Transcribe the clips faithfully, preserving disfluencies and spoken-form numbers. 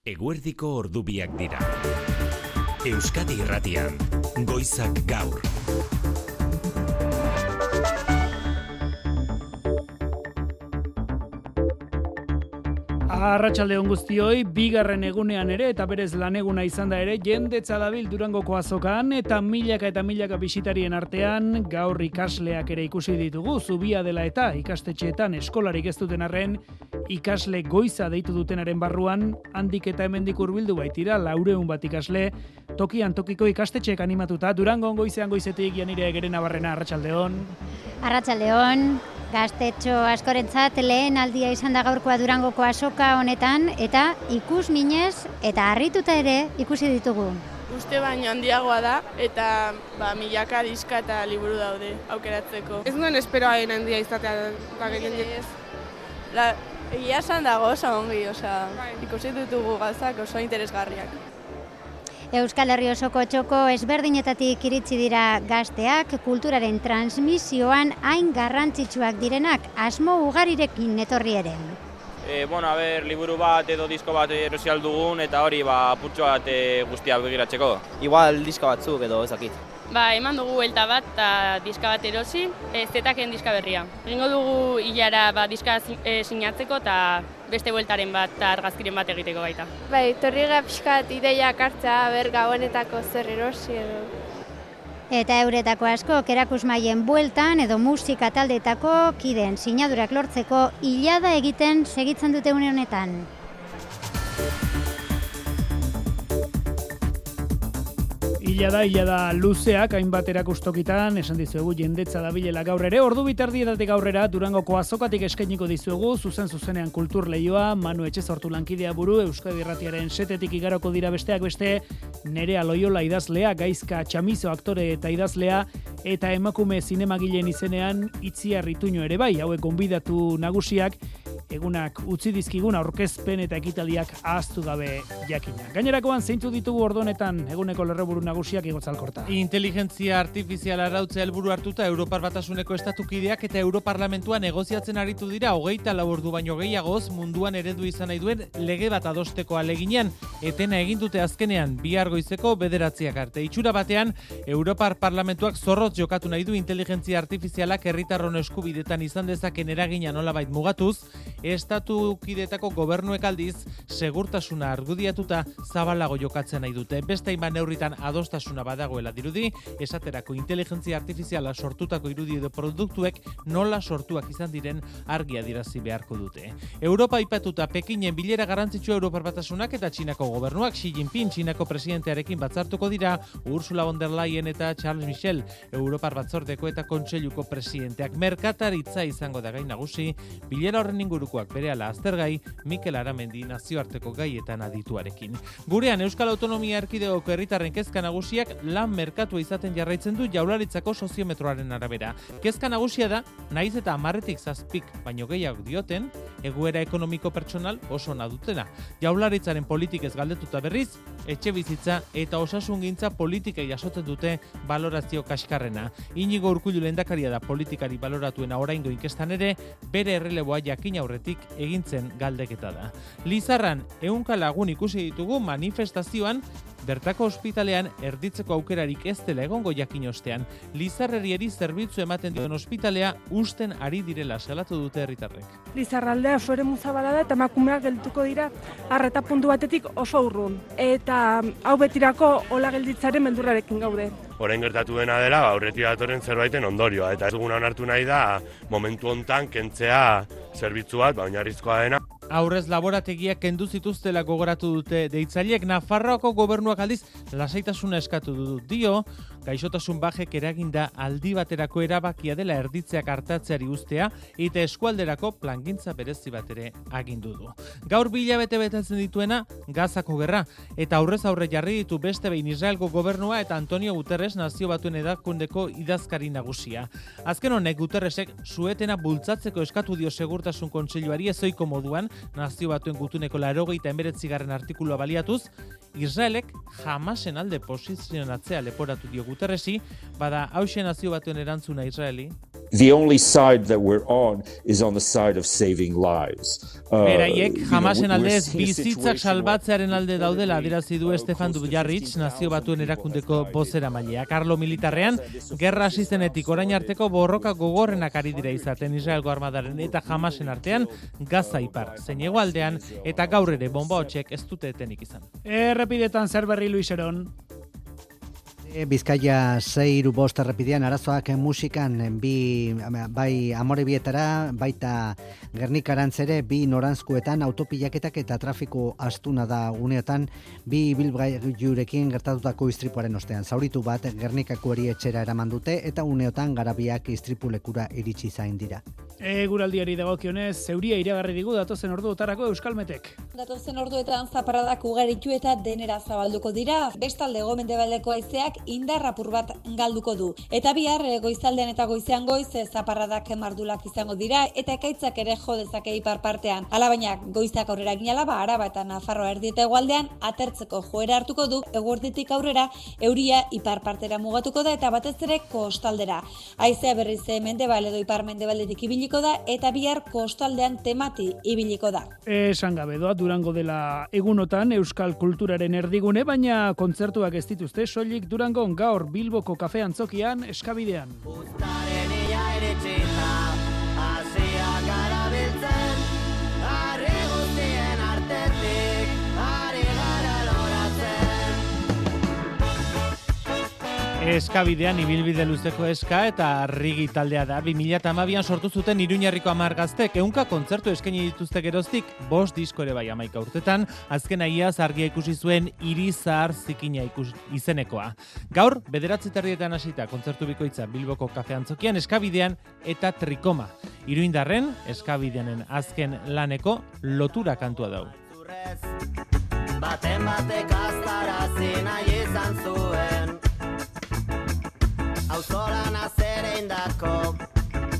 Eguerdiko ordubiak dira. Euskadi Irratian, Goizak Gaur. Arratsalde on guztioi, bigarren egunean ere eta berez laneguna izan da ere, jendetza dabil Durangoko azokan eta milaka eta milaka bisitarien artean gaur ikasleak ere ikusi ditugu, Zubia dela eta ikastetxeetan eskolarik ez duten arren, ikasle goiza deitu dutenaren barruan, handik eta hemendik hurbildu baitira, laureun bat ikasle, tokian tokiko ikastetxeek animatuta, Durangon goizean goizetik Janire Gerena Barrena, arratsalde on. Arratsalde on. Gaztetxo askorentzat lehen aldia izan da gaurkoa Durangoko azoka honetan eta ikus minez eta harrituta ere ikusi ditugu. Uste baino handiagoa da eta ba, milaka diska eta liburu daude aukeratzeko. Ez nuen esperoain handia izatea. La, egia esan dago oso ongi, oza, ikusi ditugu gauzak oso interesgarriak. Euskal Herri osoko txoko ezberdinetatik iritsi dira gazteak, kulturaren transmisioan hain garrantzitsuak direnak asmo ugarirekin etorri ere. E, bueno, a ber, liburu bat edo disko bat erosi aldugun eta hori ba, putxo bat e, guztia begiratzeko. Igual diska batzuk edo ezakit. Ba, eman dugu buelta bat eta diska bat erosi, ez zetaken diska berria. Egingo dugu hilara ba, diska e, sinatzeko eta beste bueltaren bat eta argazkiren bat egiteko baita. Bai, torriga pixkat ideiak hartza, ber gauenetako zer erosi edo. Eta euretako askok erakusmaien bueltan edo musika taldeetako kideen sinadurak lortzeko hilada egiten segitzen dute une honetan. Ila da, ila da luzeak, hainbat erakustokitan, esan dizuegu jendetza dabilela gaur ere, ordu bitardietatik aurrera Durangoko azokatik eskainiko dizuegu, zuzen zuzenean kultur lehioa, Manu Etxezortu lankidea buru, Euskadi Irratiaren setetik igaroko dira besteak beste, Nerea Loiola idazlea, Gaizka Txamizo aktore eta idazlea, eta emakume zinemagileen izenean Itziar Ituño ere bai, hauek gonbidatu nagusiak, egunak utzi dizkigun aurkezpen eta ekitaldiak ahaztu gabe jakina. Gainerakoan zeintzuk ditugu ordu honetan eguneko lerroburu nagusiak Igotzalkorta. Inteligentzia artifiziala arautzea helburu hartuta Europar Batasuneko estatukideak eta Europarlamentuan negoziatzen aritu dira hogeita lau ordu baino gehiagoz munduan eredu izan nahi duen lege bat adosteko aleginean, etena egin dute azkenean bihar goizeko bederatziak arte. Itxura batean Europar Parlamentuak zorrotz jokatu nahi du inteligentzia artifizialak herritarron eskubidetan izan dezaken eragina nolabait mugatuz, estatu kidetako gobernuek aldiz segurtasuna argudiatuta zabalago jokatzen nahi dute. Beste hainbat neurritan adostasuna badagoela dirudi, esaterako inteligentzia artifiziala sortutako irudi edo produktuek nola sortuak izan diren argi adierazi beharko dute. Europa aipatuta Pekinen bilera garrantzitsua Europar Batasunak eta Txinako gobernuak Xi Jinping Txinako presidentearekin batzartuko dira Ursula von der Leyen eta Charles Michel Europar Batzordeko eta Kontseiluko presidenteak. Merkataritza izango da gai nagusi, bilera horren ingurukoak berehala aztergai Mikel Aramendi nazioarteko gaietan adituarekin. Gurean Euskal Autonomia Erkidegoko herritarren kezka nagusiak lan merkatua izaten jarraitzen du Jaurlaritzako soziometroaren arabera. Kezka nagusia da, naiz eta hamarretik zazpik baino gehiago dioten, egoera ekonomiko pertsonal oso ona dutena. Jaurlaritzaren politikez galdetuta berriz, etxe bizitza eta osasungintza politikei jasotzen dute balorazio kaskarrena. Inigo Urkullu lehendakaria da politikari baloratuena oraingo inkestan ere, bere erreleboa jakin aurretik egintzen galdeketa da. Lizarran ehunka lagun ikusi ditugu manifestazioan, bertako ospitalean erditzeko aukerarik ez dela egongo jakin ostean. Lizarrerieri zerbitzu ematen duen ospitalea usten ari direla salatu dute herritarrek. Lizarraldea oso eremu zabala da eta emakumeak geltuko dira arreta puntu batetik oso urrun. Eta hau betirako hola gelditzaren beldurrarekin gaude. Orain gertatu dena dela, aurretik datorren zerbaiten ondorioa, eta ez duguna onartu nahi da momentu hontan kentzea zerbitzu bat, oinarrizkoa dena. Aurrez laborategiak kendu zituztela gogoratu dute deitzaileek. Nafarroako gobernuak aldiz lasaitasuna eskatu du dio, gaixotasun bajek eraginda aldi baterako erabakia dela erditzeak hartatzeari ustea eta eskualderako plangintza berezi bat ere agindu du. Gaur bi hilabete betetzen dituena Gazako gerra eta aurrez aurre jarri ditu beste behin Israelgo gobernua eta Antonio Guterres Nazio Batuen Erakundeko idazkari nagusia. Azken honek Guterresek suetena bultzatzeko eskatu dio Segurtasun Kontseiluari ezoiko moduan Nazio Batuen gutuneko laurogeita hemeretzigarren artikulua baliatuz, Israelek Hamasen alde posizionatzea leporatu dio Guterresi, bada hauxe Nazio Batuen erantzuna Israeli. the only side that we're on is on the side of saving lives. Uh, Beraiek you know, Hamasen we're aldez seeing a bizitzak situation salbatzearen alde daudela adierazi du Stefan Dujarric, Nazio Batuen erakundeko bozeramailea. Karlo militarrean gerra hasi zenetik orain arteko borroka gogorrenak ari dira izaten Israelgo armadaren eta Hamasen artean Gaza ipar zein hegoaldean eta gaur ere bomba hotsek ez dute etenik izan. Errepidetan zer berri Luiseron? Bizkaia sei hiru bost errepidean arazoak musikan bi bai Amorebietara baita Gernikarantz ere bi noranzkuetan autopilaketak eta trafiko astuna da uneotan bi ibilgailurekin gertatutako istripuaren ostean. Zauritu bat Gernikako erietxera eraman dute eta uneotan garabiak istripulekura iritsi zain dira. Eguraldiari dagokionez, zeuria iragarri digu datozen orduotarako Euskalmetek. Datozen orduetan zaparradak ugaritu eta denera zabalduko dira. Bestalde hego-mendebaldeko haizeak indar apur bat galduko du. Eta bihar goizaldean eta goizean goiz zaparradak mardulak izango dira eta ekaitzak ere jo dezake ipar partean. Alabaina goizak aurrera ginala ba Araba eta Nafarroa erdi eta hegoaldean atertzeko joera hartuko du, eguerditik aurrera euria ipar partera mugatuko da eta batez ere kostaldera. Haizea berriz mendebal edo ipar mendebaldetik ibiliko da eta bihar kostaldean temati ibiliko da. Esan gabe doa Durango dela egunotan euskal kulturaren erdigune, baina kontzertuak ez dituzte soilik Durango gaur Bilboko kafe antzokian Eskabidean. Eskabidean ibilbide luzeko eska eta Rigi taldea da. bi mila hamabian sortu zuten Iruñerriko hamar gaztek, ehunka kontzertu eskaini dituzte geroztik, bost disko ere bai hamaika urtetan, azken iaz argia ikusi zuen Hiri Zahar Zikina ikus, izenekoa. Gaur, bederatzi terdietan hasita kontzertu bikoitza Bilboko kafe antzokian Eskabidean eta Trikoma. Iruindarren, Eskabideanen azken laneko lotura kantua dau. Baten batek aztarazi nahi izan zuen, auzolan azere indako,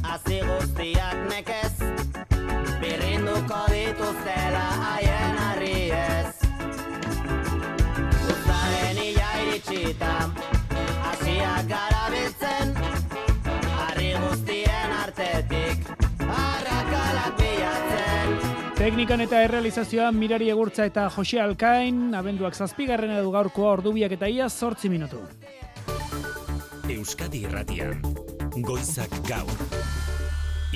hazi guztiak nekez, birrinduko dituztela haien harriez. Uztaren ila iritsita, hasiak garabiltzen, harri guztien artetik, arrakalak bilatzen. Teknikan eta errealizazioan Mirari Egurtza eta Jose Alkain, abenduak zazpigarren edu gaurkoa ordubiak eta ia zortzi minutu. Euskadi Irratian, Goizak Gaur.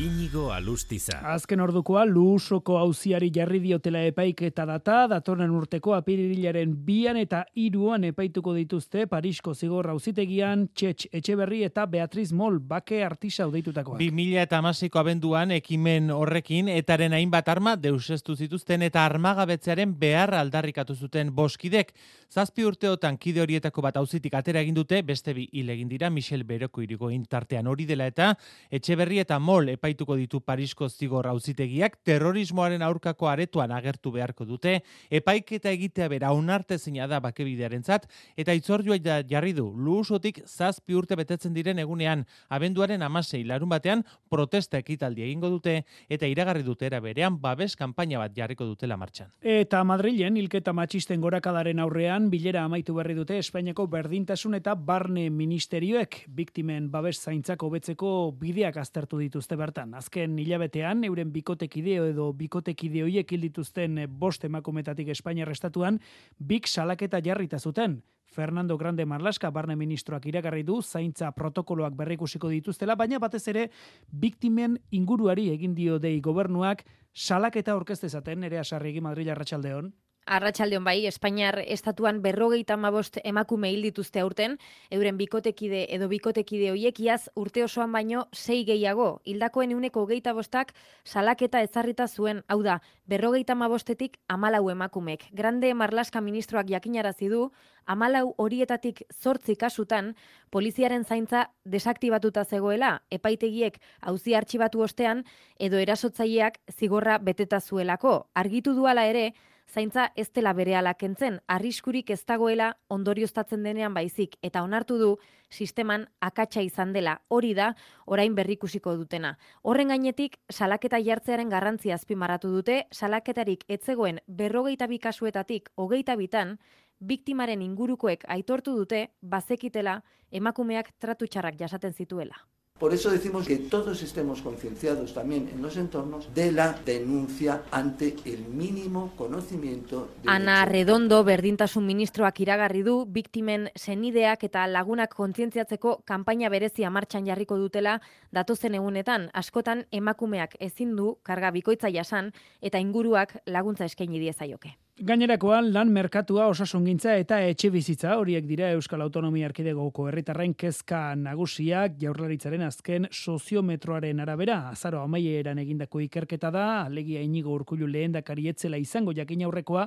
Inigo Alustiza. Azken ordukoa Luusoko auziari jarri diotela epaiketa data, datorren urteko apirilaren bian eta hiruan epaituko dituzte Parisko zigor auzitegian Txetx Etxeberri eta Beatriz Mol bake artisau deitutakoak. bi mila hamaseiko abenduan ekimen horrekin etaren hainbat arma deuseztu zituzten eta armagabetzearen beharra aldarrikatu zuten boskidek. Zazpi urteotan kide horietako bat auzitik atera egin dute, beste bi hil egin dira Michel Beroko irigoin tartean hori dela eta Etxeberri eta Mol epaituko ditu Parisko zigor auzitegiak terrorismoaren aurkako aretoan agertu beharko dute, epaiketa egitea bera onartezina da bakebidearentzat eta itzordua jarri du Luusotik zazpi urte betetzen diren egunean abenduaren hamasei larun batean protesta ekitaldi egingo dute eta iragarri dute era berean babes kanpaina bat jarriko dutela martxan. Eta Madrilen hilketa matxisten gorakadaren aurrean bilera amaitu berri dute Espainiako berdintasun eta barne ministerioek biktimen babes zaintzak hobetzeko bideak aztertu dituzte bertan. Azken hilabetean euren bikotekideo edo bikotekide horiek hil dituzten bost emakumetatik Espainiar estatuan bik salaketa jarrita zuten. Fernando Grande Marlaska barne ministroak iragarri du zaintza protokoloak berrikusiko dituztela, baina batez ere biktimen inguruari egin dio dei gobernuak salaketa aurkeztezaten. Ere Asarregi, Madril, arratsaldeon. Arratsaldeon bai, Espainiar estatuan berrogeita hamabost emakume hil dituzte aurten, euren bikotekide edo bikotekide hoiek iaz urte osoan baino sei gehiago. Hildakoen ehuneko hogeita bostak salaketa ezarrita zuen, hau da, berrogeita hamabostetik hamalau emakumek. Grande Marlaska ministroak jakinarazi du, hamalau horietatik zortzi kasutan poliziaren zaintza desaktibatuta zegoela, epaitegiek auzi artxibatu ostean edo erasotzaileak zigorra beteta zuelako. Argitu duala ere, zaintza ez dela berehala kentzen, arriskurik ez dagoela ondorioztatzen denean baizik, eta onartu du sisteman akatsa izan dela. Hori da, orain berrikusiko dutena. Horren gainetik, salaketa jartzearen garrantzia azpimarratu dute, salaketarik etzegoen berrogeita bi kasuetatik hogeita bitan, biktimaren ingurukoek aitortu dute bazekitela emakumeak tratu txarrak jasaten zituela. Por eso decimos que todos estemos concienciados también en los entornos de la denuncia ante el mínimo conocimiento de Ana Redondo berdintasun ministroak iragarri du biktimen senideak eta lagunak kontzientziatzeko kanpaina berezia martxan jarriko dutela datozen egunetan. Askotan emakumeak ezin du karga bikoitza jasan eta inguruak laguntza eskaini diezaioke. Gainerakoan lan merkatua, osasungintza eta etxebizitza horiek dira Euskal Autonomia Erkidegoko herritarren kezka nagusiak. Jaurlaritzaren azken soziometroaren arabera azaro amaieran egindako ikerketa da, alegia Inigo Urkullu lehendakari etzela izango jakin aurrekoa,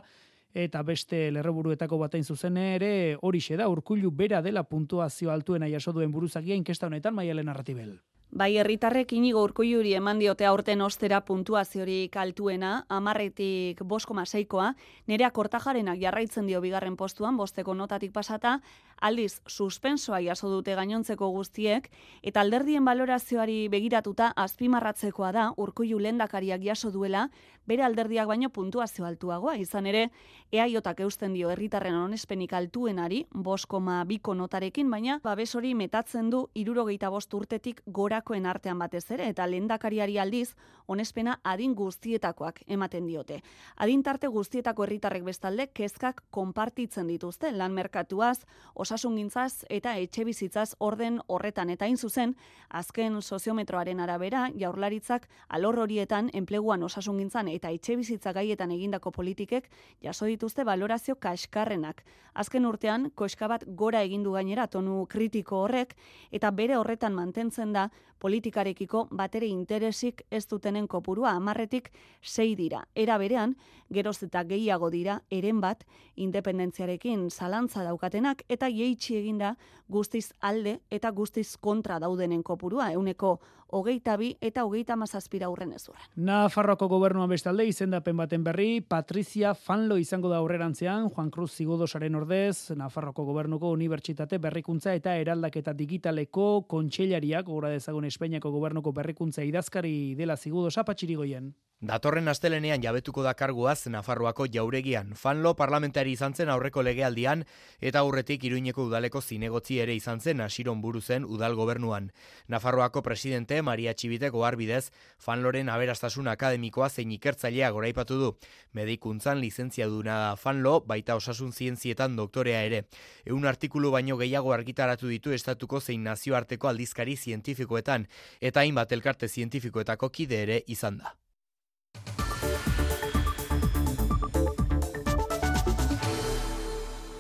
eta beste lerroburuetako batein zuzen ere horixe da, Urkullu bera dela puntuazio altuena jaso duen buruzagia inkesta honetan Maialen Arratibel. Bai, herritarrek Inigo Urkulluri eman diote aurten ostera puntuaziorik altuena, hamarretik bost koma seikoa, Nerea Kortajarenak jarraitzen dio bigarren postuan, bosteko notatik pasata, aldiz suspensoa jaso dute gainontzeko guztiek, eta alderdien balorazioari begiratuta azpimarratzekoa da Urkullu lehendakariak jaso duela, bere alderdiak baino puntuazio altuagoa, izan ere, eaiotak eusten dio herritarren onespenik altuenari, bost koma biko notarekin, baina babes hori metatzen du hirurogeita bost urtetik gorakoen artean batez ere, eta lehendakariari aldiz, onespena adin guztietakoak ematen diote. Adin tarte guztietako herritarrek bestalde kezkak konpartitzen dituzte, lan merkatuaz, osasungintzaz eta etxebizitzaz orden horretan, eta hain zuzen, azken soziometroaren arabera, Jaurlaritzak alor horietan enpleguan osasungintzan eta etxebizitza gaietan egindako politikek jaso dituzte balorazio kaskarrenak. Azken urtean, koska bat gora egindu gainera tonu kritiko horrek, eta bere horretan mantentzen da politikarekiko batere interesik ez dutenen kopurua hamarretik sei dira. Era berean, geroz eta gehiago dira eren bat independentziarekin zalantza daukatenak eta jeitsi eginda guztiz alde eta guztiz kontra daudenen kopurua, euneko hogeita bi eta hogeita hamazazpira aurren ez urren. Nafarroako gobernuan bestalde izendapen baten berri, Patrizia Fanlo izango da aurrerantzean, Juan Cruz Zigodosaren ordez, Nafarroako gobernuko unibertsitate berrikuntza eta eraldaketa digitaleko kontseilariak, gora dezagun Espainiako gobernuko berrikuntza idazkari dela Zigodosa, Patxirigoien. Datorren astelenean jabetuko da karguaz Nafarroako jauregian. Fanlo parlamentari izan zen aurreko legealdian eta aurretik Iruñeko udaleko zinegotzi ere izan zen Asiron buru zen udal gobernuan. Nafarroako presidente Maria Txibiteko arbidez, Fanloren aberastasun akademikoa zein ikertzailea goraipatu du. Medikuntzan lizentziaduna da Fanlo, baita osasun zientzietan doktorea ere. Ehun artikulu baino gehiago argitaratu ditu estatuko zein nazioarteko aldizkari zientifikoetan, eta hainbat elkarte zientifikoetako kide ere izan da.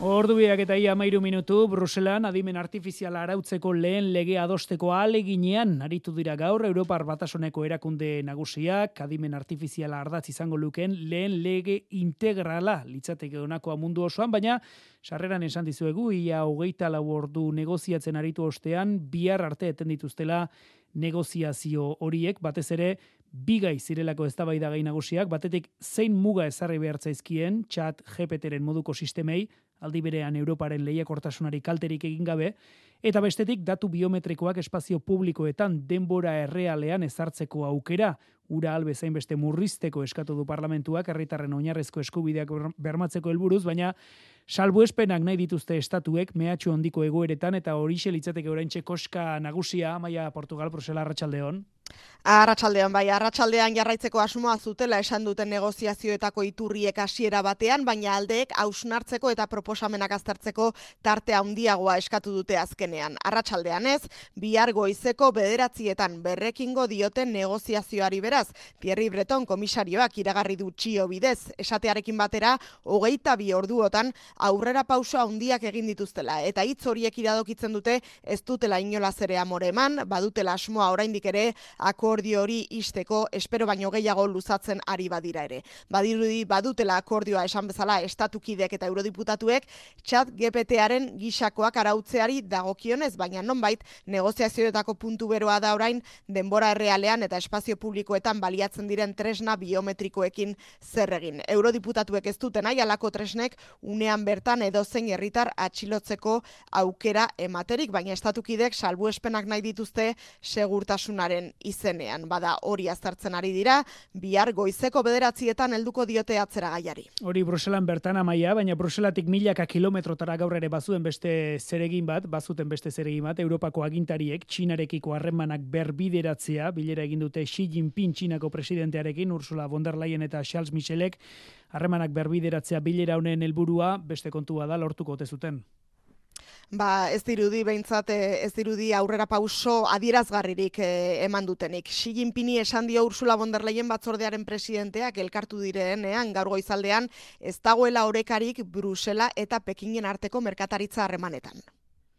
Ordubiak eta ia amairu minutu, Bruselan adimen artifiziala arautzeko lehen lege adosteko ahaleginean aritu dira gaur Europar Batasuneko erakunde nagusiak, adimen artifiziala ardatz izango lukeen lehen lege integrala litzateke honakoa mundu osoan, baina sarreran esan dizuegu ia hogeita lau ordu negoziatzen aritu ostean bihar arte eten dituztela negoziazio horiek, batez ere bigai zirelako eztabaida gai nagusiak, batetik zein muga ezarri behar zaizkien Chat G P T-ren moduko sistemei, aldi berean Europaren lehiakortasunari kalterik egin gabe, eta bestetik datu biometrikoak espazio publikoetan denbora errealean ezartzeko aukera, ura albezain beste murrizteko eskatu du parlamentuak herritarren oinarrezko eskubideak bermatzeko helburuz, baina salbuespenak nahi dituzte estatuek mehatxu handiko egoeretan eta horixe litzateke oraintxe koska nagusia, Amaia Portugal, Brusela, arratsaldeon. Arratsaldean bai, arratsaldean jarraitzeko asmoa zutela esan duten negoziazioetako iturriek hasiera batean, baina aldeek hausnartzeko eta proposamenak aztertzeko tarte handiagoa eskatu dute azkenean. Arratsaldean ez, bihar goizeko bederatzietan berrekingo dioten negoziazioari beraz, Thierry Breton komisarioak iragarri du txio bidez, esatearekin batera, hogeita bi orduotan aurrera pauso handiak egin dituztela, eta hitz horiek iradokitzen dute ez dutela inolaz ere amore eman, badutela asmoa oraindik ere akordio hori isteko, espero baino gehiago luzatzen ari badira ere. Badirudi badutela akordioa esan bezala estatukideek eta eurodiputatuek Chat G P T-aren gisakoak arautzeari dagokionez, baina nonbait negoziazioetako puntu beroa da orain denbora errealean eta espazio publikoetan baliatzen diren tresna biometrikoekin zer egin. Eurodiputatuek ez duten nahi halako tresnek unean bertan edozein herritar atxilotzeko aukera ematerik, baina estatukideek salbuespenak nahi dituzte segurtasunaren izenean. Bada hori aztertzen ari dira, bihar goizeko bederatzietan helduko diote atzera gaiari. Hori Bruselan bertan amaia, baina Bruselatik milaka kilometrotara gaur ere bazuen beste zeregin bat, bazuten beste zeregin bat, Europako agintariek Txinarekiko harremanak berbideratzea, bilera egin dute Xi Jinping Txinako presidentearekin, Ursula von der Leyen eta Charles Michelek, harremanak berbideratzea bilera honen helburua beste kontua da lortuko ote zuten. Ba, ez dirudi behintzat, ez dirudi aurrera pauso adierazgarririk eh, eman dutenik. Xi Jinpingi esan dio Ursula von der Leyen batzordearen presidenteak elkartu direnean gaur goizaldean ez dagoela orekarik Brusela eta Pekinen arteko merkataritza harremanetan.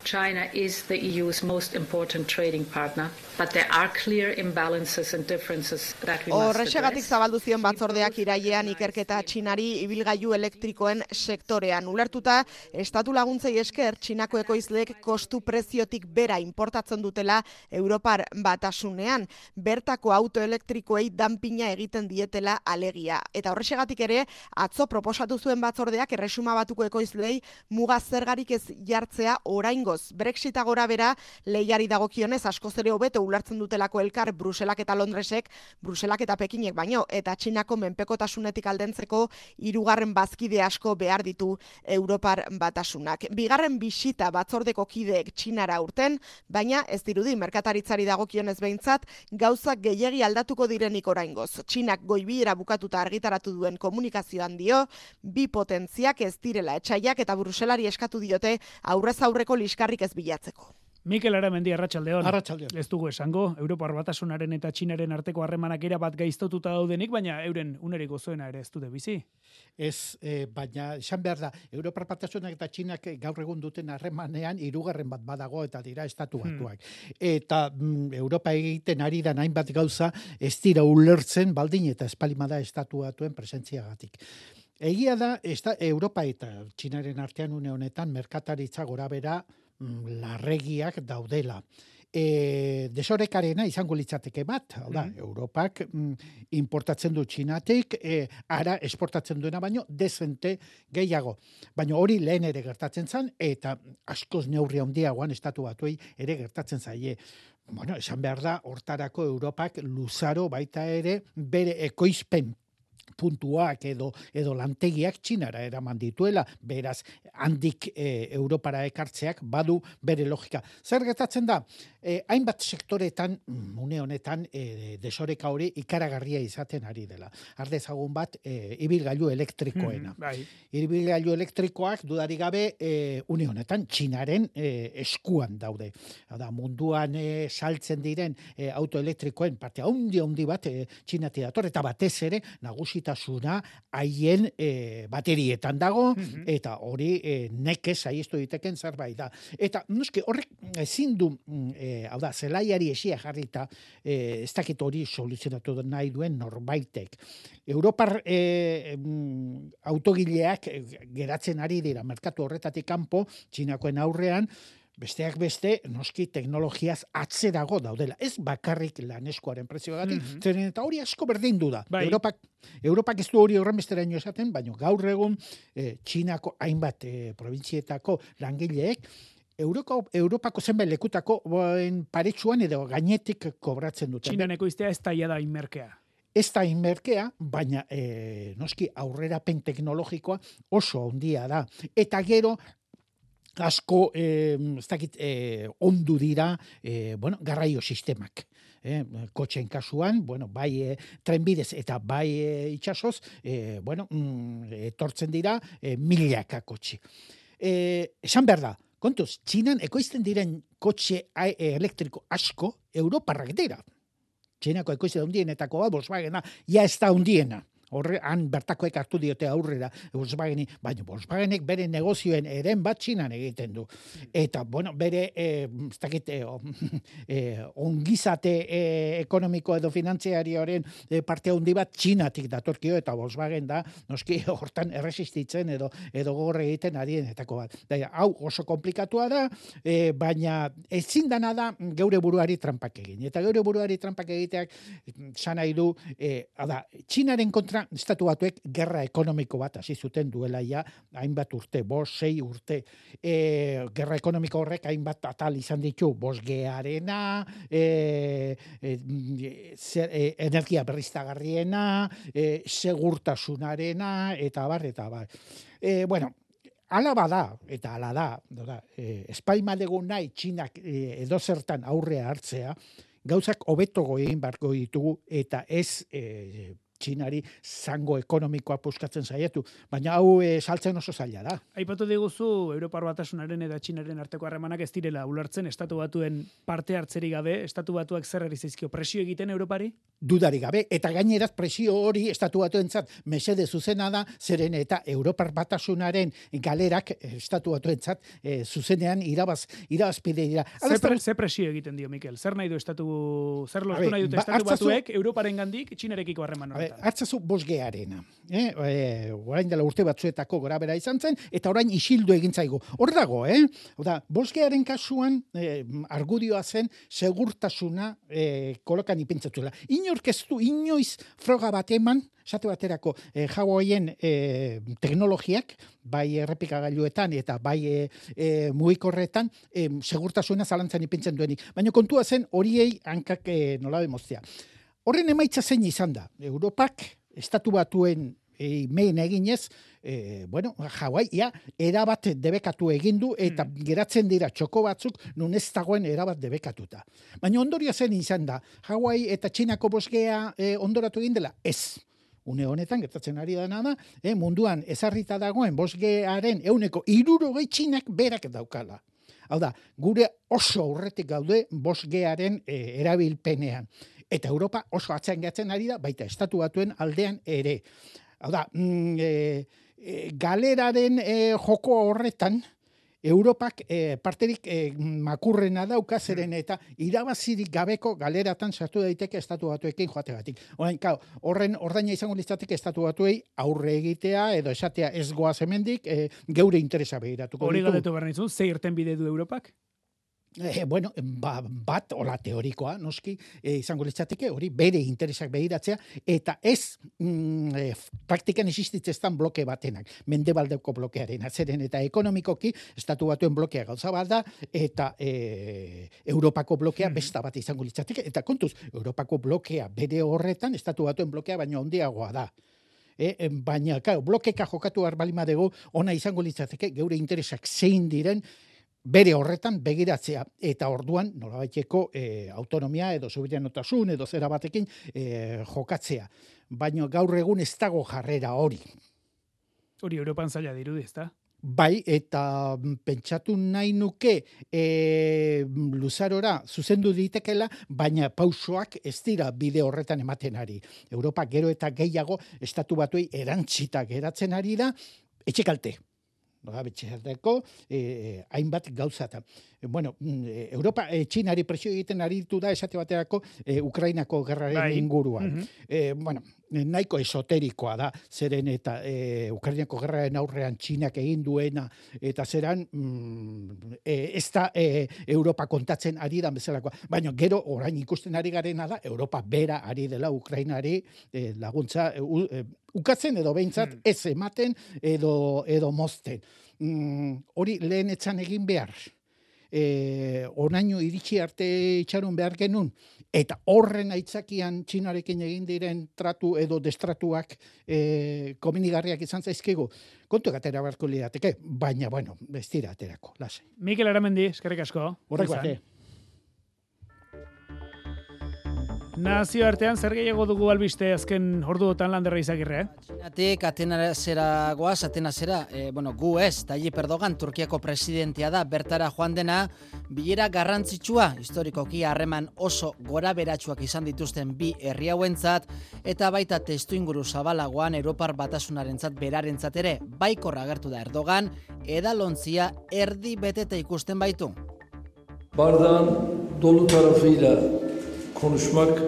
China is the E U's most important trading partner, but there are clear imbalances and differences that we must address. Horrexegatik zabaldu zion batzordeak irailean ikerketa Txinari ibilgailu elektrikoen sektorean. Ulertuta, estatu laguntzei esker Txinako ekoizleek kostu preziotik bera importatzen dutela Europar batasunean, bertako auto elektrikoei danpina egiten dietela alegia. Eta horrexegatik ere, atzo proposatu zuen batzordeak erresuma batuko ekoizlei muga zergarik ez jartzea oraingo. Brexita gora bera lehiari dagokionez askoz ere hobeto ulertzen dutelako elkar Bruselak eta Londresek, Bruselak eta Pekinek baino, eta Txinako menpekotasunetik aldentzeko hirugarren bazkide asko behar ditu Europar batasunak. Bigarren bisita batzordeko kideek Txinara urten, baina ez dirudi merkataritzari dagokionez behintzat gauzak gehiegi aldatuko direnik oraingoz. Txinak goibilera bukatuta argitaratu duen komunikazioan dio, bi potentziak ez direla etxaiak eta Bruselari eskatu diote aurrez aurreko liskarrik ez bilatzeko. Mikel Aramendi, arratsaldeon. Arratsaldeon. Ez dugu esango, Europar Batasunaren eta Txinaren arteko harremanak erabat gaiztotuta daudenik, baina euren unerik gozoena ere ez dute bizi. Ez, eh, baina esan behar da, Europar Batasunak eta Txinak gaur egun duten harremanean hirugarren bat badago eta dira estatu batuak. Hmm. Eta mm, Europa egiten ari da hainbat gauza ez dira ulertzen baldin eta espalimada estatu batuen presentziagatik. Egia da, esta, Europa eta Txinaren artean une honetan merkataritza gorabera mm, larregiak daudela. E, desorekarena izango litzateke bat, hau da, mm-hmm. Europak mm, importatzen du Txinatik, e, ara esportatzen duena baino dezente gehiago. Baina hori lehen ere gertatzen zen, eta askoz neurri handiagoan estatu batuei ere gertatzen zaie. Bueno, esan behar da, hortarako Europak luzaro baita ere bere ekoizpen puntuak edo edo lantegiak Txinara eraman dituela, beraz handik e, Europara ekartzeak badu bere logika. Zer gertatzen da? E, hainbat sektoretan une honetan e, desoreka hori ikaragarria izaten ari dela. Ardezagun bat e, ibilgailu elektrikoena. Mm, bai. Ibilgailu elektrikoak dudari gabe e, une honetan Txinaren e, eskuan daude. Da, munduan e, saltzen diren e, autoelektrikoen parte handi handi bat e, Txinatik dator eta batez ere nagusi tasuna haien e, baterietan dago, mm-hmm. eta hori e, nekez saiestu diteken zerbait da. Eta noski horrek ezin du, e, hau da, zelaiari esia jarrita, e, ez dakit hori soluzionatu nahi duen norbaitek. Europar e, autogileak geratzen ari dira merkatu horretatik kanpo, Txinakoen aurrean, besteak beste, noski teknologiaz atzerago daudela. Ez bakarrik laneskuaren prezioagatik, mm-hmm. zeren eta hori asko berdin du da. Bai. Europak, Europak ez du hori horrenbesteraino esaten, baina gaur egun eh, Txinako hainbat eh, provintzietako langileek Euroko, Europako zenbait lekutako paretsuan edo gainetik kobratzen dute. Txinan ekoiztea ez taia da inmerkea. Ez da inmerkea, baina eh, noski aurrerapen teknologikoa oso handia da. Eta gero, asko, eh, ez dakit, eh, ondu dira, eh, bueno, garraio sistemak. Eh, kotxen kasuan, bueno, bai eh, trenbidez eta bai eh, itxasoz, eh, bueno, mm, etortzen dira eh, milaka kotxe. Eh, esan behar da, kontuz, Txinan ekoizten diren kotxe elektriko asko Europarrak dira. Txinako ekoizte da hundienetako bat, Volkswagena, ja ez da hundiena. Horrean bertakoek hartu diote aurrera Volkswageni, baina Volkswagenek bere negozioen eren bat Txinan egiten du. Eta, bueno, bere eh, ez dakit, eh, eh, ongizate eh, ekonomiko edo finantziarioaren eh, parte handi bat Txinatik datorkio, eta Volkswagen da, noski, hortan erresistitzen edo edo gogor egiten arienetako bat. Da, hau oso komplikatua da, eh, baina ezin dana da geure buruari trampak egin. Eta geure buruari trampak egiteak, san nahi du, eh, da, Txinaren kontra baina Estatu Batuek gerra ekonomiko bat hasi zuten duela ja hainbat urte, bost, sei urte. E, gerra ekonomiko horrek hainbat atal izan ditu, bosgearena, e, e, e, energia berriztagarriena, e, segurtasunarena, eta bar, eta bar. E, bueno, ala bada, eta ala da, da e, espaimaldegu nahi Txinak e, edozertan aurrea hartzea, gauzak hobeto egin beharko ditugu, eta ez e, Txinari zango ekonomikoa puskatzen saiatu, baina hau e, saltzen oso zaila da. Aipatu diguzu Europar Batasunaren eta Txinaren arteko harremanak ez direla ulertzen Estatu Batuen parte hartzeri gabe, Estatu Batuak zer ari zaizkio presio egiten Europari? Dudari gabe, eta gaineraz presio hori Estatu Batuentzat mesede zuzena da, zeren eta Europar Batasunaren galerak Estatu Batuentzat e, zuzenean irabaz, irabazpide dira. Ze, pre, ze presio egiten dio, Mikel? Zer nahi du Estatu, zer lortu nahi dute Estatu ba, Batuek Europaren gandik Txinarekiko harreman horretan? Hartzazu bosgearena. Eh? E, orain dela urte batzuetako gora bera izan zen, eta orain isildu egin zaigu. Hor dago, eh? Oda, bosgearen kasuan eh, argudioa zen segurtasuna eh, kolokan ipintzatuela. Inork ez du inoiz froga bat eman, esate baterako eh, Hawaien eh, teknologiak, bai errepikagailuetan eta bai e, e, mugikorretan eh, segurtasuna zalantzan ipintzen duenik. Baina kontua zen horiei hankak eh, nola demoztea. Horren emaitza zein izan da. Europak, Estatu Batuen e, mehen eginez, e, bueno, Hawaii, ja, erabat debekatu egin du, eta mm. geratzen dira txoko batzuk, nun ez dagoen erabat debekatuta. Baina ondoria zen izan da. Hawaii eta Txinako bosgea e, ondoratu egin dela? Ez. Une honetan, gertatzen ari dena da, e, munduan ezarrita dagoen bosgearen euneko hirurogei Txinak berak daukala. Hau da, gure oso aurretik gaude bosgearen e, erabilpenean. Eta Europa oso atzean gehatzen ari da, baita Estatu Batuen aldean ere. Hau da, mm, e, e, galeraren e, joko horretan, Europak e, parterik e, makurrena dauka zeren eta irabazirik gabeko galeratan sartu daiteke Estatu Batuekin joategatik. Orain, kao, horren ordaina izango litzateke Estatu Batuei aurre egitea edo esatea ez goaz hemendik e, geure interesa begiratuko ditu. Hori galdetu behar nizun, ze irten bide du Europak? Eh, bueno, ba, bat, hola teorikoa, noski, eh, izango litzateke, hori bere interesak begiratzea, eta ez mm, eh, praktikan existitzeztan bloke batenak, mendebaldeko blokearen, atzeren eta ekonomikoki, Estatu Batuen blokea gauza bat da, eta eh, Europako blokea besta bat izango litzateke, eta kontuz, Europako blokea bere horretan, Estatu Batuen blokea baino handiagoa da. E, baina, claro, blokeka jokatu arbalima dugu, ona izango litzateke, geure interesak zein diren, bere horretan begiratzea, eta orduan nolabaiteko e, autonomia edo soberanotasun edo zera batekin e, jokatzea. Baina gaur egun ez dago jarrera hori. Hori Europan zaila dirudi, ezta? Bai, eta pentsatu nahi nuke e, luzarora zuzendu ditekela, baina pausoak ez dira bide horretan ematen ari. Europa gero eta gehiago Estatu Batuei erantzita geratzen ari da, etxekalte. Nola betxerteko, eh, hainbat gauzata. Eh, bueno, eh, Europa, eh, Txinari presio egiten aritu da, esate baterako, eh, Ukrainako gerraren bai. inguruan. Mm-hmm. eh, bueno, nahiko esoterikoa da, zeren eta eh, Ukrainako gerraren aurrean Txinak egin duena, eta zeran, mm, eh, ez da eh, Europa kontatzen ari da bezalakoa. Baina gero, orain ikusten ari garena da, Europa bera ari dela Ukrainari eh, laguntza, eh, ukatzen edo behintzat ez ematen edo, edo mozten. Mm, hori lehen etzan egin behar. E, onaino iritsi arte itxaron behar genuen. Eta horren aitzakian Txinarekin egin diren tratu edo destratuak e, komenigarriak izan zaizkigu. Kontu egatera beharko lirateke, baina, bueno, ez dira aterako, lasai. Mikel Aramendi, eskerrik asko. Horrek bate. Nazioartean zer gehiago dugu albiste azken orduotan Landerra Izagirre, eh? Txinatik Atenasera goaz, Atenasera, e, bueno, gu ez, Tayyip Erdogan, Turkiako presidentea da, bertara joan dena, bilera garrantzitsua, historikoki harreman oso gora beratsuak izan dituzten bi herri hauentzat, eta baita testuinguru zabalagoan Europar Batasunarentzat berarentzat ere, baikorra agertu da Erdogan, edalontzia erdi beteta ikusten baitu. Bardağın dolu tarafıyla konuşmak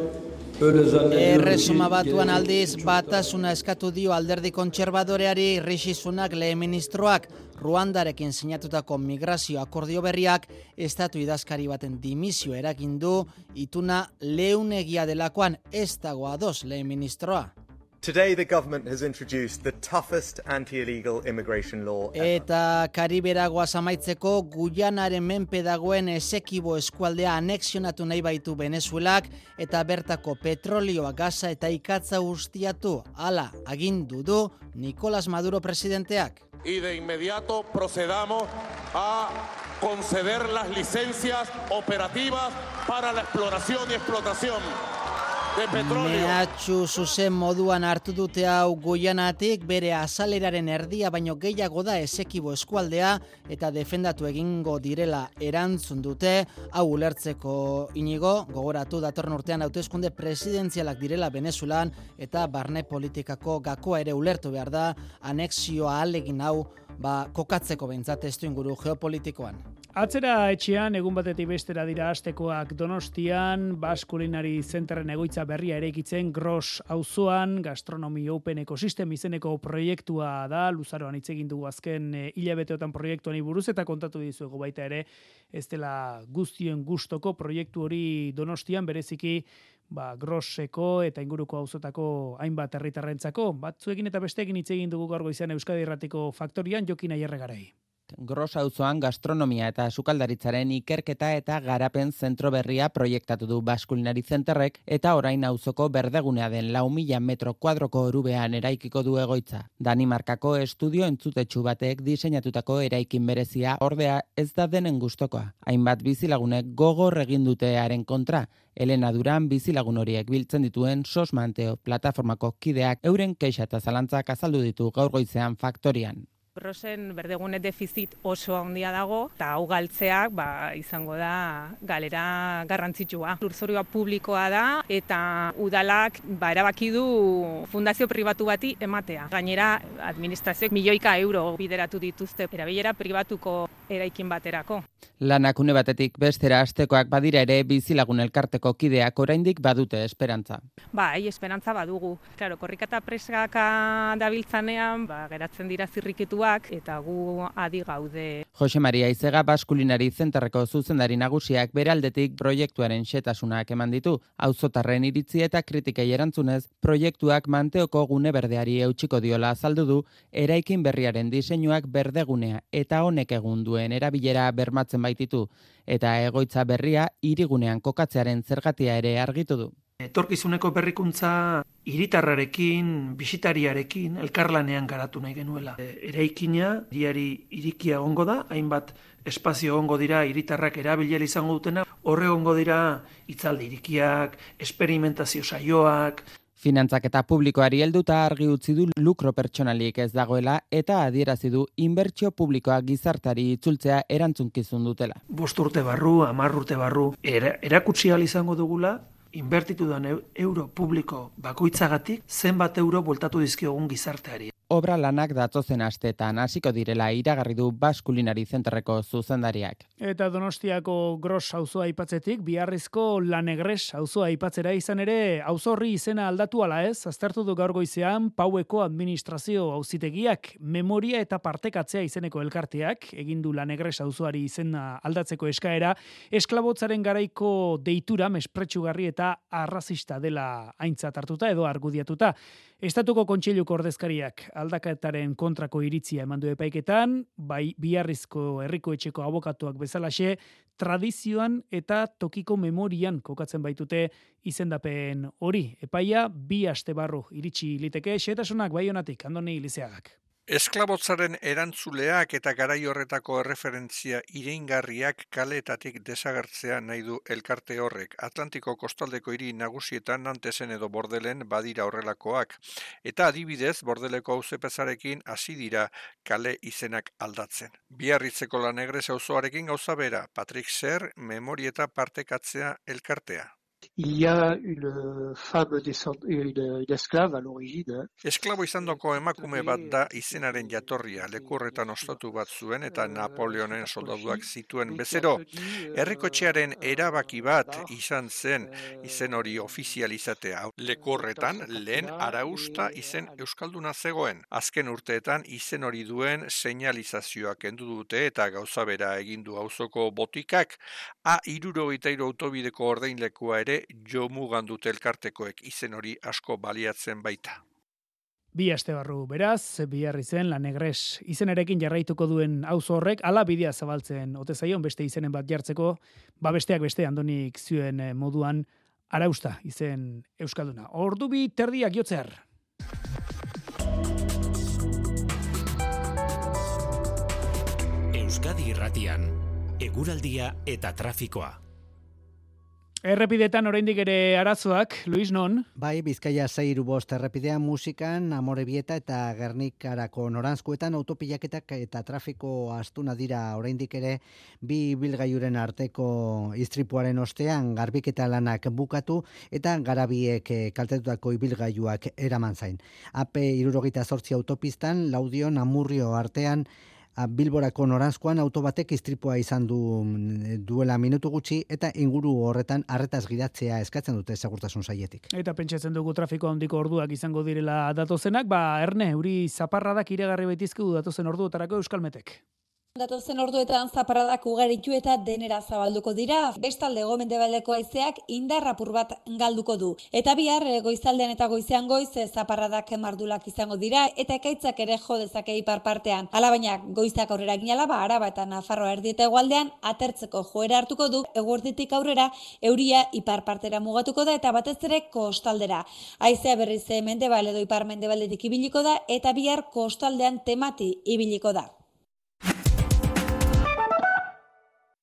öyle zannediyorum. Erresuma batuan aldiz batasuna eskatu dio alderdi kontserbadoreari Rishi Sunak lehen ministroak Ruandarekin sinatutako migrazio akordio berriak estatu idazkari baten dimisio eragindu ituna leunegia delakoan ez dago ados lehen ministroa. Today the government has introduced the toughest anti-illegal immigration law ever. Eta Kariberagoaz amaitzeko Guyanaren menpe dagoen Esekibo eskualdea anexionatu nahi baitu Venezuelak eta bertako petrolioa, gaza eta ikatza ustiatu. Hala, agindu du Nicolás Maduro presidenteak. Y de inmediato procedamos a conceder las licencias operativas para la exploración y explotación de petróleo. Mehatxu zuzen moduan hartu dute hau Guyanatik, bere azaleraren erdia baino gehiago da Esekibo eskualdea eta defendatu egingo direla erantzun dute. Hau ulertzeko Inigo, gogoratu datorren urtean hauteskunde presidentzialak direla Venezuelan eta barne politikako gakoa ere ulertu behar da, anexioa ahalegin hau ba, kokatzeko behintzat testuinguru geopolitikoan. Atzera etxean, egun batetik bestera dira astekoak Donostian, Basque Culinary Centeren egoitza berria eraikitzen Gros auzoan, Gastronomy Open Ecosystem izeneko proiektua da, luzaroan hitz egin dugu azken e, hilabeteotan proiektuani buruz eta kontatu dizuegu baita ere, ez dela guztien gustoko proiektu hori Donostian, bereziki ba, Groseko eta inguruko auzotako hainbat herritarrentzako, batzuekin eta besteekin hitz egin dugu gaur goizean Euskadi Irratiko Faktorian, Jokin Aierregarai. Gros auzoan gastronomia eta sukaldaritzaren ikerketa eta garapen zentro berria proiektatu du Basque Culinary Centerrek eta orain auzoko berdegunea den lau mila metro kuadroko orubean eraikiko du egoitza. Danimarkako estudio entzutetsu batek diseinatutako eraikin berezia ordea ez da denen gustokoa. Hainbat bizilagunek gogor egin dutearen kontra, Elena Duran bizilagun horiek biltzen dituen Sos Manteo plataformako kideak euren keixa eta zalantzak azaldu ditu gaur goizean Faktorian. Grosen berdegune defizit oso handia dago, eta hau galtzeak ba, izango da galera garrantzitsua. Lurzorua publikoa da, eta udalak ba, erabaki du fundazio pribatu bati ematea. Gainera, administrazioek milioika euro bideratu dituzte erabilera pribatuko eraikin baterako. Lanak une batetik bestera astekoak badira ere bizilagun elkarteko kideak oraindik badute esperantza. Bai, esperantza badugu. Claro, korrikata presaka dabiltzanean, ba, geratzen dira zirrikituak, eta gu adi gaude. Jose Maria Izega Basque Culinary Centerreko zuzendari nagusiak beraldetik proiektuaren xetasunak eman ditu. Auzotarren iritzi eta kritikei erantzunez, proiektuak Manteoko gune berdeari eutxiko diola azaldu du, eraikin berriaren diseinuak berdegunea eta honek egun duen erabilera bermatzen baititu, eta egoitza berria hirigunean kokatzearen zergatia ere argitu du. Etorkizuneko berrikuntza hiritarrarekin, bisitariarekin, elkarlanean garatu nahi genuela. Eraikina, hiriari irikia egongo da, hainbat espazio egongo dira hiritarrak erabilera izango dutena, horre egongo dira hitzaldi irikiak, esperimentazio saioak. Finantzak eta publikoari helduta argi utzi du lukro pertsonalik ez dagoela eta adierazi du inbertsio publikoa gizartari itzultzea erantzunkizun dutela. Bost urte barru, hamar urte barru, era, erakutsi ahal izango dugula, inbertitu den euro publiko bakoitzagatik zenbat euro bueltatu dizkiogun gizarteari. Obra lanak datozen asteetan hasiko direla iragarri du Basque Culinary Centerreko zuzendariak. Eta Donostiako Gros auzoa aipatzetik, Biarrizko Lanegres auzoa aipatzera izan ere, auzo horri izena aldatu ala ez, aztertu du gaur goizean Paueko administrazio auzitegiak memoria eta partekatzea izeneko elkarteak, egin du Lanegres auzoari izena aldatzeko eskaera, esklabotzaren garaiko deitura mespretxugarri eta arrazista dela aintzat hartuta edo argudiatuta. Estatuko Kontseiluko ordezkariak aldaketaren kontrako iritzia eman du epaiketan, bai Biarrizko herriko etxeko abokatuak bezalaxe, tradizioan eta tokiko memorian kokatzen baitute izendapen hori. Epaia bi aste barru iritsi liteke, xehetasunak Baionatik, Andoni Lizeagak. Esklabotzaren erantzuleak eta garai horretako erreferentzia ireingarriak kaleetatik desagertzea nahi du elkarte horrek. Atlantiko kostaldeko hiri nagusietan Nantesen edo Bordelen badira horrelakoak. Eta adibidez, Bordeleko auzepezarekin hasi dira kale izenak aldatzen. Biarritzeko Lanegres auzoarekin gauza bera, Patrick Ser, memorieta partekatzea elkartea. Il y a une femme une esclave à l'origine. Esklabo izandoko emakume bat da izenaren jatorria, lekurretan ostatu bat zuen eta Napoleonen soldaduak zituen bezero. Herrikotxearen erabaki bat izan zen izen hori ofizializatea. Lekurretan lehen arausta izen euskalduna zegoen. Azken urteetan izen hori duen seinalizazioak kendu dute eta gauza bera egin du auzoko botikak. A hirurogeita hiru autobideko ordeinlekua ere jo mugan dute elkartekoek, izen hori asko baliatzen baita. Bi aste barru beraz, bihar izen La Negres izenerekin jarraituko duen auzo horrek ala bidea zabaltzen ote zaion beste izenen bat jartzeko, ba besteak beste Andonik zioen moduan arausta izen euskalduna. Ordu bi terdiak jotzear. Euskadi Irratian, eguraldia eta trafikoa. Errepidetan oraindik ere arazoak, Luis non? Bai, Bizkaia sei bost errepidean musikan, Amorebieta eta Gernikarako noranzkoetan autopilaketak eta trafiko astuna dira oraindik ere bi bilgailuren arteko istripuaren ostean garbiketa lanak bukatu eta garabiek kaltetutako ibilgailuak eraman zain. A P hirurogeita zortzi autopistan, Laudion Amurrio artean Bilborako noranzkoan auto batek istripua izan du duela minutu gutxi eta inguru horretan arretaz gidatzea eskatzen dute segurtasun sailetik. Eta pentsatzen dugu trafiko handiko orduak izango direla datozenak, ba Erne, euri zaparradak iragarri baitizkigu datozen orduotarako Euskalmetek. Datozen orduetan zaparradak ugaritu eta denera zabalduko dira. Bestalde hego-mendebaldeko haizeak indar apur bat galduko du. Eta bihar goizaldean eta goizean goiz zaparradak mardulak izango dira eta ekaitzak ere jo dezake ipar partean. Alabaina goizak aurrera ginala ba Araba eta Nafarroa erdi eta hegoaldean atertzeko joera hartuko du. Eguerditik aurrera euria ipar partera mugatuko da eta batez ere kostaldera. Haizea berriz mendebal edo ipar mendebaldetik ibiliko da eta bihar kostaldean temati ibiliko da.